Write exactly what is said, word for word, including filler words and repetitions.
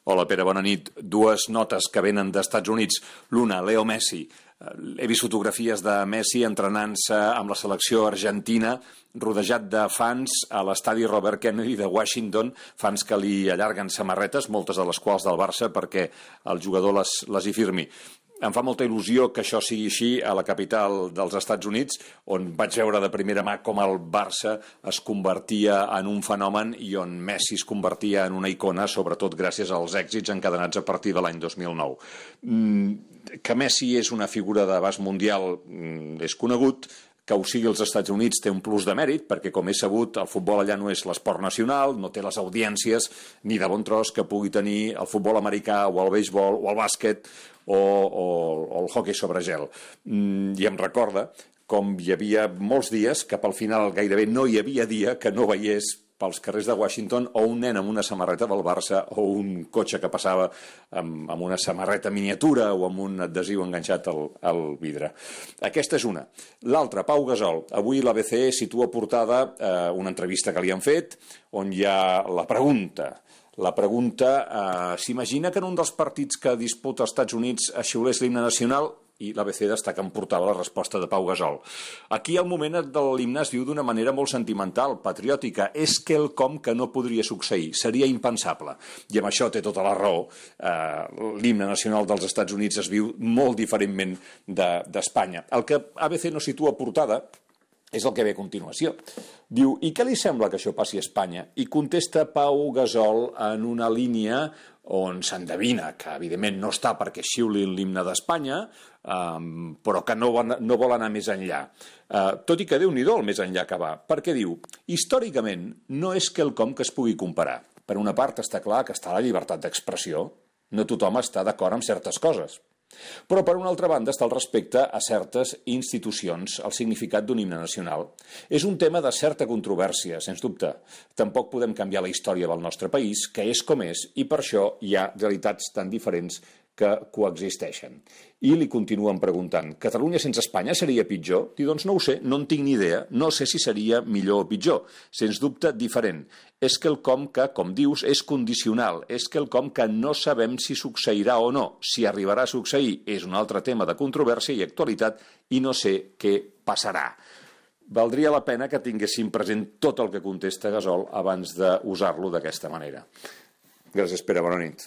Hola, Pere, bona nit. Dues notes que venen d'Estats Units. L'una, Leo Messi. He vist fotografies de Messi entrenant-se amb la selecció argentina, rodejat de fans a l'estadi Robert Kennedy de Washington, fans que li allarguen samarretes, moltes de les quals del Barça, perquè el jugador les, les hi firmi. Em fa molta il·lusió que això sigui així a la capital dels Estats Units, on vaig veure de primera mà com el Barça es convertia en un fenomen i on Messi es convertia en una icona, sobretot gràcies als èxits encadenats a partir de l'any dos mil nou. Que Messi és una figura d'abast mundial és conegut, que ho sigui als Estats Units té un plus de mèrit, perquè, com és sabut, el futbol allà no és l'esport nacional, no té les audiències ni de bon tros que pugui tenir el futbol americà o el béisbol o el bàsquet o, o, o el hoquei sobre gel. I em recorda com hi havia molts dies que pel final gairebé no hi havia dia que no veiés pels carrers de Washington o un nen amb una samarreta del Barça o un cotxe que passava amb, amb una samarreta miniatura o amb un adhesiu enganxat al, al vidre. Aquesta és una. L'altra, Pau Gasol. Avui l'A B C situa portada eh, una entrevista que li han fet on hi ha la pregunta. La pregunta, eh, s'imagina que en un dels partits que disputa els Estats Units es xiulés l'himne nacional? I l'A B C destaca en portada la resposta de Pau Gasol. Aquí el moment de l'himne es viu d'una manera molt sentimental, patriòtica. És quelcom que no podria succeir, seria impensable. I amb això té tota la raó. Eh, l'himne nacional dels Estats Units es viu molt diferentment d'Espanya. El que A B C no situa a portada és el que ve a continuació. Diu, i què li sembla que això passi a Espanya? I contesta Pau Gasol en una línia on s'endevina que, evidentment, no està perquè xiulin l'himne d'Espanya, um, però que no, no vol anar més enllà. Uh, tot i que Déu-n'hi-do el més enllà que va, perquè diu, històricament no és quelcom que es pugui comparar. Per una part està clar que està la llibertat d'expressió, no tothom està d'acord amb certes coses. Però, per una altra banda, està el respecte a certes institucions, el significat d'un himne nacional. És un tema de certa controvèrsia, sens dubte. Tampoc podem canviar la història del nostre país, que és com és, i per això hi ha realitats tan diferents que coexisteixen. I li continuen preguntant, Catalunya sense Espanya seria pitjor? I doncs no ho sé, no en tinc ni idea, no sé si seria millor o pitjor. Sens dubte, diferent. És quelcom que, com dius, és condicional, és quelcom que no sabem si succeirà o no. Si arribarà a succeir és un altre tema de controvèrsia i actualitat i no sé què passarà. Valdria la pena que tinguéssim present tot el que contesta Gasol abans d'usar-lo d'aquesta manera. Gràcies, Pere, bona nit.